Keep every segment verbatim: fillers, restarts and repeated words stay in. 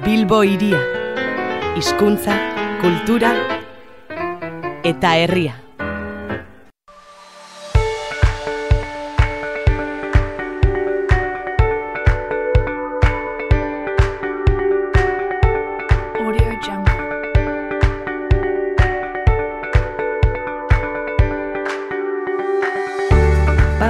Bilbo hiria, hizkuntza, kultura eta herria.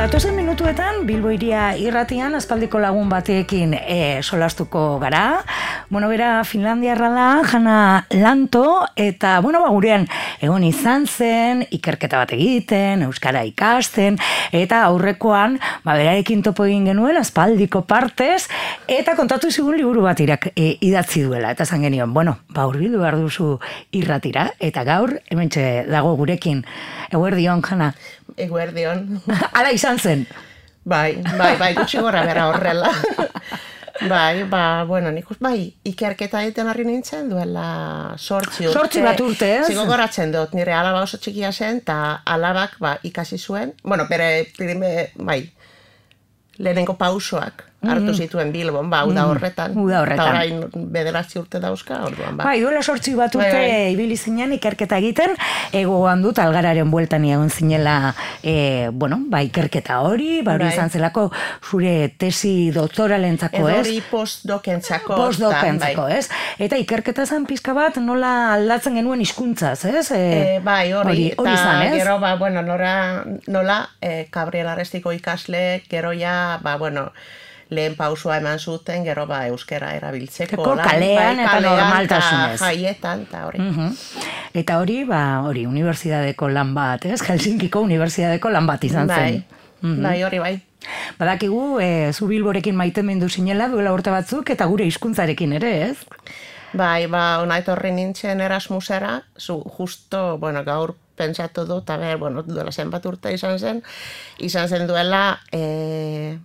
Datozen minutuetan, Bilbo hiria irratian aspaldiko lagun batekin e, solastuko gara. Bueno, bera Finlandiarra da, Jana Lanto, eta, bueno, ba, gurean egon izan zen, ikerketa bat egiten, euskara ikasten, eta aurrekoan, ba, berarekin topo egin genuen, aspaldiko partez, eta kontatu zigun liburu bat irak, e, idatzi duela, eta zan genion, bueno, ba, hurbildu behar duzu irratira, eta gaur, hementxe dago gurekin, eguerdion, Jana. Eguerdion. Ala izan zen. Bai, bai, bai, gutxi gora bera horrela. Bai, ba, bueno, nik uz, bai, ikerketa egiten harri nintzen duela sortzi urte. Sortzi bat urte, ez? Zigo goratzen dut, nire alaba oso txikia zen, eta alabak, ba, ikasi zuen, bueno, bere, prime, bai, lehenengo pausoak hartu zituen Bilbon, ba, uda horretan. Uda horretan. Eta orain bederatzi urte dauzka, orduan, ba. Bai, duela sortzi bat urte bai, bai. ibili zinen ikerketa egiten, egoan dut algararen bueltan egon zinela, e, bueno, ba, ikerketa hori, ba, hori bai. izan zelako zure tesi doktoralentzako, ez? Hori postdokentzako. Postdokentzako, ez? Eta ikerketa zan pizka bat nola aldatzen genuen hizkuntzaz, ez? E, e, bai, hori, hori izan, ez? Gero, ba, bueno, nora, nola, e, Gabriel Arrestiko ikasle, gero ja, ba, bueno, lehen pausua eman zuten, gero ba euskera erabiltzeko. Eko kalean bai, eta normaltasunez. Jaietan, eta hori. Uh-huh. Eta hori, ba, hori, unibertsitateko lan bat, ez? Helsinkiko unibertsitateko lan bat izan zen. Bai, uh-huh. bai, hori bai. Badakigu, e, zu Bilborekin maitemendu zinela duela urte batzuk, eta gure hizkuntzarekin ere, ez? Bai, ba, ona etorri nintzen Erasmusera, zu, justo, bueno, gaur pentsatu dut, a ber, bueno, duela zenbat urte izan zen, izan zen duela, e,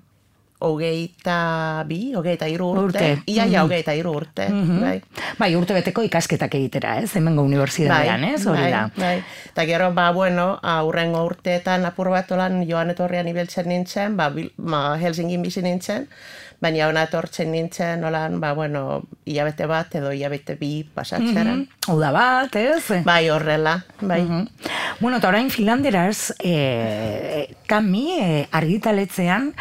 hogeita bi, hogeita hiru urte, urte. Ia, ja, hogeita hiru urte. Mm-hmm. Bai. Bai, urte beteko ikasketak egitera, ez? Hemengo unibertsitatean, ez? Hori da. Bai, eta gero, ba, bueno, aurrengo urteetan apur bat olan joan etorrian ibiltzen nintzen, ba, ba Helsingin bizi nintzen, baina ona etortzen nintzen, olan, ba, bueno, hilabete bat edo hilabete bi pasatzera. Mm-hmm. Uda bat, ez? Bai, horrela, bai. Mm-hmm. Bueno, eta orain Finlanderaz, e, kami, e, argitaletzean,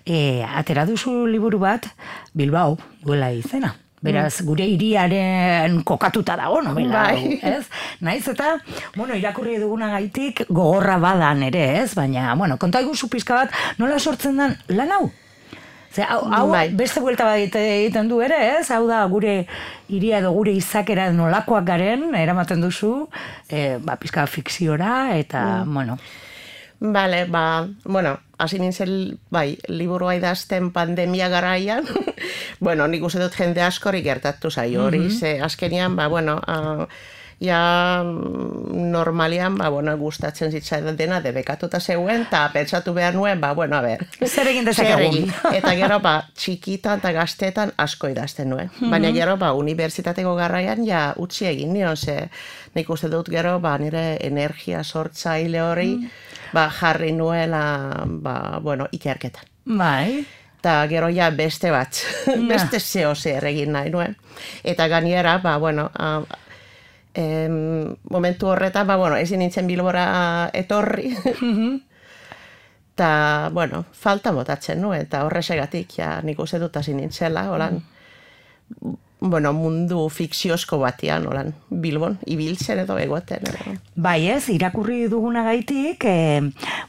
e, atera duzu liburu bat, Bilbao, duela izena. Beraz, gure hiriaren kokatuta dago, nobela, bai. ez? Naiz eta, bueno, irakurri dugunagaitik gogorra badan ere, ez? Baina, bueno, konta iguzu pizka bat, nola sortzen den lan hau? Ze, hau, hau bai. beste buelta bat egiten du ere, ez? Hau da, gure hiria edo gure izakera nolakoak garen, eramaten duzu, e, ba, pizka fikziora, eta, mm. bueno... Bale, ba, bueno, hasi nintzen, bai, liburua idazten pandemia garaian, bueno, nik uste dut jende askori gertatu zaio hori, mm-hmm. ze azkenian, ba, bueno, uh, ja normalian, ba, bueno, gustatzen zitzaidan dena debekatuta zeuen, eta pentsatu behar nuen, ba, bueno, a ber. Zer egin dezakegun. Eta gero, ba, txikitan eta gaztetan asko idazten nuen. Mm-hmm. Baina gero, ba, unibertsitateko garaian, ja, utzi egin nion, ze nik uste dut gero, ba, nire energia sortzaile hori, mm. ba, jarri nuela, ba, bueno, ikerketan. Bai. Eta gero ja beste bat, beste zeo zer egin nahi nuen. Eta gainera, ba, bueno, uh, em, momentu horretan, ba, bueno, ezin nintzen Bilbora etorri. Eta, bueno, falta botatzen nuen, eta horresegatik, ja, nik uste dut hasi nintzela, holan, bueno, mundu fikziozko batean, holan, Bilbon, ibiltzen edo egoten. Edo. Bai ez, irakurri dugunagaitik, e,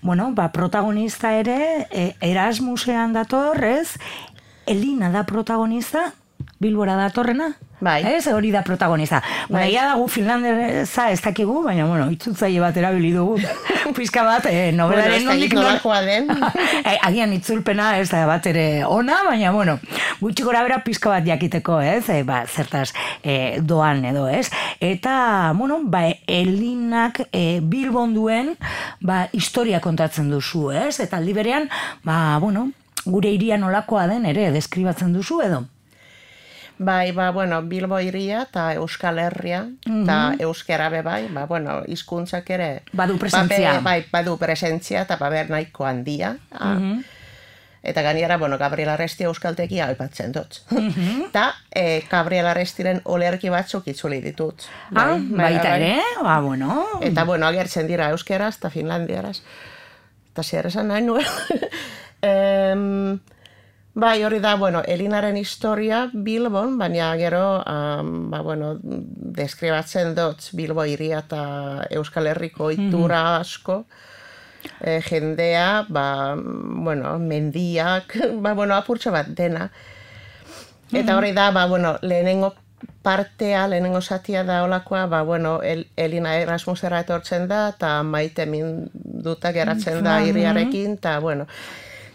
bueno, ba, protagonista ere, e, Erasmusean dator, ez? Elina da protagonista, Bilbora datorrena? Bai. Ez, hori da protagonista. Baina, ja dago Finlandesa ez dakigu, baina, bueno, itzultzaile bat erabili dugu. Pizka bat, eh, nobelaren bueno, nondik nolakoa den. Agian itzulpena ez da bat ere ona, baina, bueno, gutxi gora bera pizka bat jakiteko, ez? E, ba, zertaz e, doan edo, ez? Eta, bueno, ba, Elinak e, Bilbon duen, ba, historia kontatzen duzu, ez? Eta aldi berean, ba, bueno, gure hiria nolakoa den ere deskribatzen duzu edo? Bai, ba, bueno, Bilbo hiria eta Euskal Herria, eta mm-hmm. euskera be bai, ba, bueno, hizkuntzak ere... Badu presentzia. Ba, bai, badu presentzia, eta baber nahiko handia. Mm-hmm. Eta gainera, bueno, Gabriel Arresti euskaltegia aipatzen dut. Eta e, Gabriel Arrestiren olerki batzuk itzuli ditut. Ah, baita ere, ba, bueno. Eta, bueno, agertzen dira euskeraz eta finlandieraz. Eta zer esan nahi nuen. em, bai, hori da, bueno, Elinaren historia Bilbon, baina gero, um, ba, bueno, deskribatzen dut Bilbo hiria eta Euskal Herriko ohitura asko. E, jendea, ba, bueno, mendiak, ba, bueno, apurtxo bat dena. Eta hori da, ba, bueno, lehenengo partea, lehenengo zatia da olakoa, ba, bueno, El, Elina Erasmusera etortzen da, eta maite minduta geratzen da hiriarekin, eta, bueno,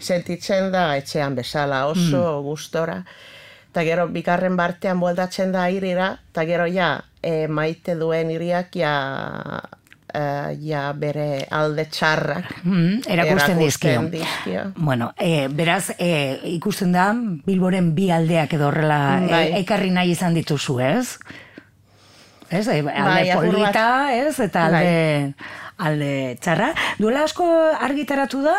sentitzen da etxean bezala, oso gustora. Eta gero, bigarren bartean bueltatzen da hirira, eta gero, ja, e, maite duen hiriak, ja, Uh, ja bere alde txarrak mm, erakusten dizkio. dizkio. Bueno, e, beraz, e, ikusten da, Bilboren bi aldeak edo horrela bai. e, ekarri nahi izan dituzu, ez? Ez, e, alde bai, polita, ez? Eta alde, bai. alde txarra. Duela asko argitaratu da?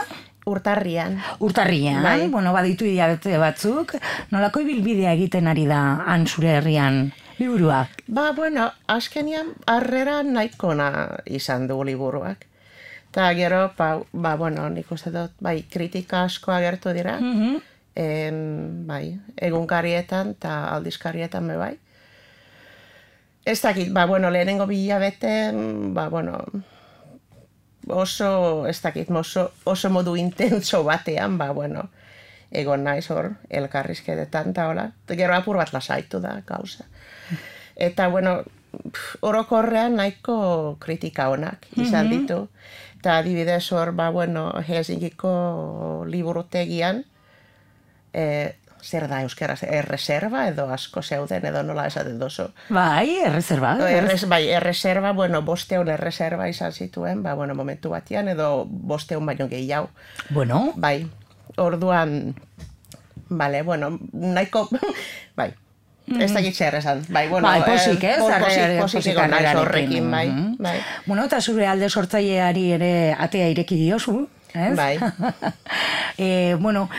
Urtarrian. Urtarrian, bai. Bueno, baditu hilabete batzuk. Nolako ibilbidea egiten ari da han zure herrian liburuak? Ba, bueno, azkenian harrera nahikona izan du liburuak. Eta gero, ba, ba, bueno, nik uste dut, bai, kritika asko agertu dira. Mm-hmm. em, bai, egunkarietan eta aldizkarietan be bai. Ez dakit, ba, bueno, lehenengo bilabete, ba, bueno, oso, ez dakit, oso, oso modu intenso batean, ba, bueno, egon naiz hor, elkarrizketetan eta hola. Gero apur bat lasaitu da, gauza. Eta, bueno, orokorrean nahiko kritika onak izan ditu. Eta adibidez hor, ba, bueno, Helsinkiko liburutegian, e, zer da euskaraz, erreserba edo asko zeuden edo nola esaten dozu. Bai, erreserba. Erres, bai, erreserba, bueno, bosteun erreserba izan zituen, ba, bueno, momentu batian, edo bosteun baino gehiago. Bueno. Bai, orduan, bale, bueno, nahiko, bai, ez dakit zer esan. Bai, bueno, bai, posik, ez? Eh, posik, posik egon naiz horrekin, bai, bai. Bueno, eta zure alde sortzaileari ere atea ireki diozu, ez? Bai. e, bueno,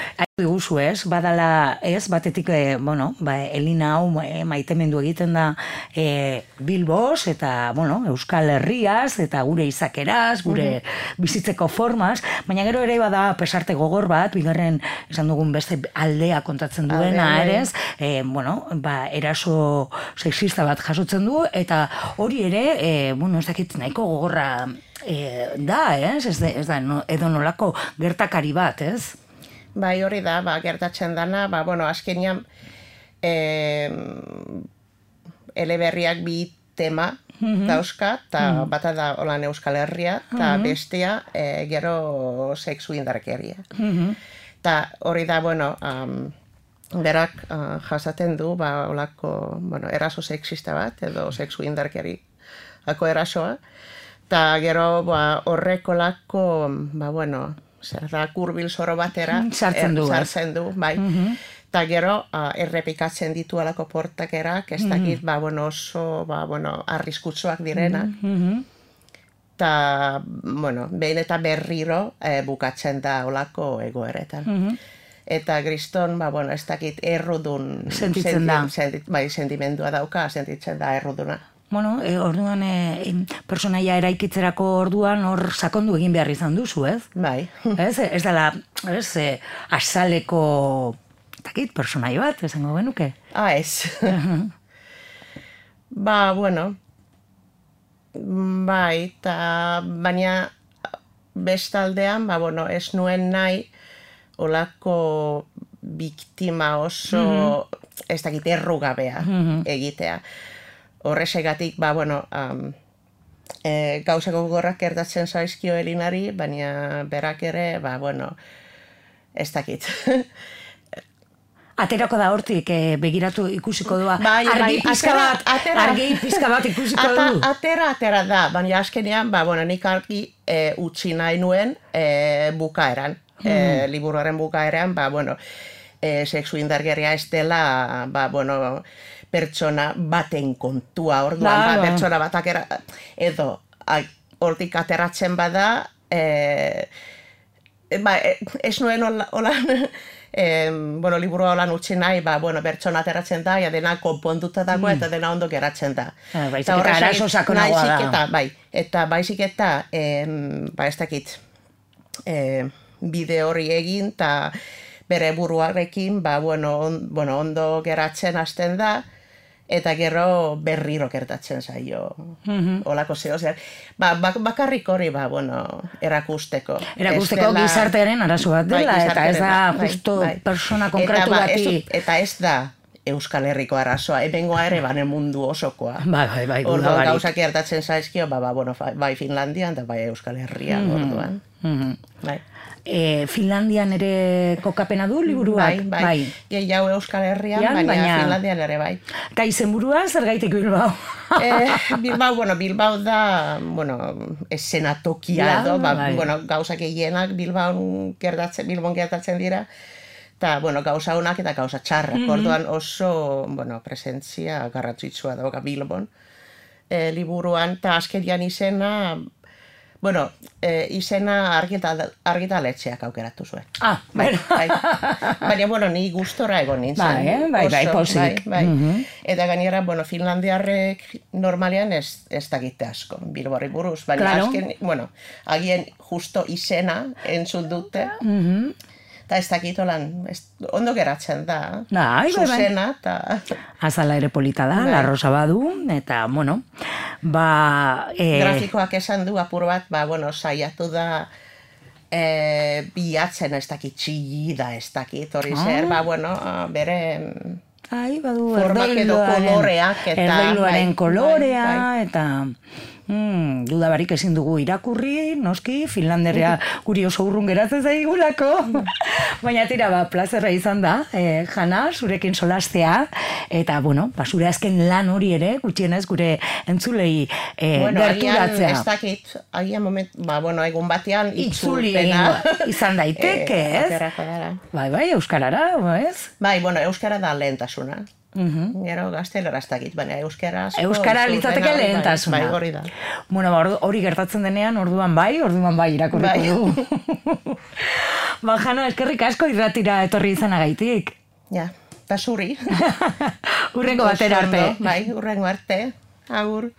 diguzu, ez? Badala, ez? Batetik, e, bueno, ba, Elina hau e, maitemendu egiten da e, Bilboz, eta, bueno, Euskal Herriaz, eta gure izakeraz, gure bizitzeko formaz, baina gero ere bada pesarte gogor bat, bigarren esan dugun beste aldea kontatzen duena, ere, e, bueno, ba, eraso sexista bat jasotzen du, eta hori ere, e, bueno, ez dakit nahiko gogorra e, da, ez? Ez, de, ez da, no, edo nolako gertakari bat, ez? Bai, hori da, ba, gertatzen dana, ba, bueno, azkenean eh, eleberriak bi tema mm-hmm. dauzka, eta mm-hmm. bata da holan Euskal Herria, eta mm-hmm. bestea eh, gero sexu indarkeria. Eta mm-hmm. hori da, bueno, um, berak uh, jasaten du, ba, holako, bueno, eraso sexista bat, edo sexu indarkeri ako erasoa, eta gero ba, horreko lako, ba, bueno, zer da, kurbil zoro batera sartzen du, er, sartzen du, bai. Mm-hmm. Eta gero, uh, errepikatzen ditu alako portakerak, ez dakit, mm-hmm. ba, bueno, oso, ba, bueno, arriskutsuak direnak. Mm-hmm. Eta, bueno, behin eta berriro eh, bukatzen da olako egoeretan. Mm-hmm. Eta Griston, ba, bueno, ez dakit errudun... Sentitzen da. Sentit, bai, sentimendua dauka, sentitzen da erruduna. Bueno, e, orduan e, personaia eraikitzerako orduan hor sakondu egin behar izan duzu, ez? Bai. Ez, ez dela, ez, e, azaleko, takit, personai bat, esango genuke? Ah, ez. Ba, bueno, bai, eta baina bestaldean, ba, bueno, ez nuen nahi olako biktima oso, mm-hmm. ez dakit, errugabea mm-hmm. egitea. Horrezegatik, ba, bueno, um, e, gauzako gorrak gertatzen zaizkio Elinari, baina berak ere, ba, bueno, ez dakit. Aterako da hortik, e, begiratu ikusiko doa. Bai, argi bai, pizka atera, bat, atera. argi pizka bat ikusiko Ata, du. Atera, atera da, baina azkenean, ba, bueno, nik argi e, utzi nahi nuen e, bukaeran, hmm. e, liburuaren bukaeran, ba, bueno, e, sexu indarkeria ez dela, ba, bueno, pertsona baten kontua, orduan, ba, pertsona batak era, edo, hortik ateratzen bada, e, ba, ez nuen holan, e, bueno, liburua holan utzi nahi, ba, bueno, bertsona ateratzen da, ja dena konpontuta dago eta dena ondo geratzen da. Ah, baizik eta arazo sakonagoa da. Eta, bai, eta baizik eta, em, ba, ez dakit, e, bide hori egin, eta bere buruarekin, ba, bueno, on, bueno, ondo geratzen hasten da, eta gero berriro gertatzen zaio. Mm-hmm. Olako zeo, zer. Ba, bak, bakarrik hori, ba, bueno, erakusteko. Erakusteko dela, gizartearen arazo bat dela, bai, eta ez da bai, justo bai. persona konkretu eta, ba, bati. Ez, eta ez da Euskal Herriko arazoa, ebengoa ere banen mundu osokoa. Bai, bai, bai, orduan gauzak gertatzen zaizkio, ba, ba, bueno, bai Finlandian, eta bai Euskal Herrian, mm-hmm. orduan. Mm-hmm. Bai. E, Finlandian ere kokapena du liburuak? Bai, bai. bai. Gehiago Euskal Herrian, baina, baina Finlandian ere bai. Eta izenburua zergaitik Bilbao? eh, Bilbao, bueno, Bilbao da, bueno, eszenatokia edo, ba, bai. Bueno, gauzak egienak Bilbaon gertatzen, Bilbon gertatzen dira, eta, bueno, gauza honak eta gauza txarrak, mm-hmm. orduan oso, bueno, presentzia garrantzitsua dauka Bilbon e, liburuan, eta azkenian izena, bueno, e, izena argitaletxeak aukeratu zuen. Ah, bai, bai. Baina, bueno, ni gustora egon nintzen. Bai, eh? bai, bai, posik. Bai, bai. Mm-hmm. Eta gainera, bueno, finlandiarrek normalean ez, ez dakite asko, Bilbori buruz. Baina, claro. azken, bueno, agien justo izena entzun dute. Mm-hmm. Eta ez dakitolan, ondo geratzen da, bai, zuzena, eta... Azala ere polita da, bai. La Rosa badu, eta, bueno, ba... E... Grafikoak esan du apur bat, ba, bueno, saiatu da e, bilatzen ez dakit txilli da, ez dakit hori ah. zer, ba, bueno, bere... Ai, badu, formak edo koloreak, eta... Erdoiluaren bai, kolorea, bai, bai. eta... Hmm, dudabarik ezin dugu irakurri, noski, Finlanderea guri oso urrun geratzen zaigulako. Baina tira, ba, plazerra izan da, eh, Jana, zurekin solastea, eta, bueno, ba, zure azken lan hori ere, gutxienez gure entzulei eh, bueno, gerturatzea. Agian, ez dakit, agian moment, ba, bueno, egun batean itzuli itzulpena. Izan daiteke, ez? Eh, bai, bai, euskarara, ez? Bai, bueno, euskara da lehentasuna. Mm-hmm. Gero gaztelera ez dakit, baina euskara... Euskara litzateke lehentasuna. Bai, hori da. Bueno, ba, hori gertatzen denean, orduan bai, orduan bai irakurriko du. Ba, Jana, eskerrik asko irratira etorri izanagaitik. Ja, eta zuri. Urrengo batera arte. Bai, urrengo arte. Agur.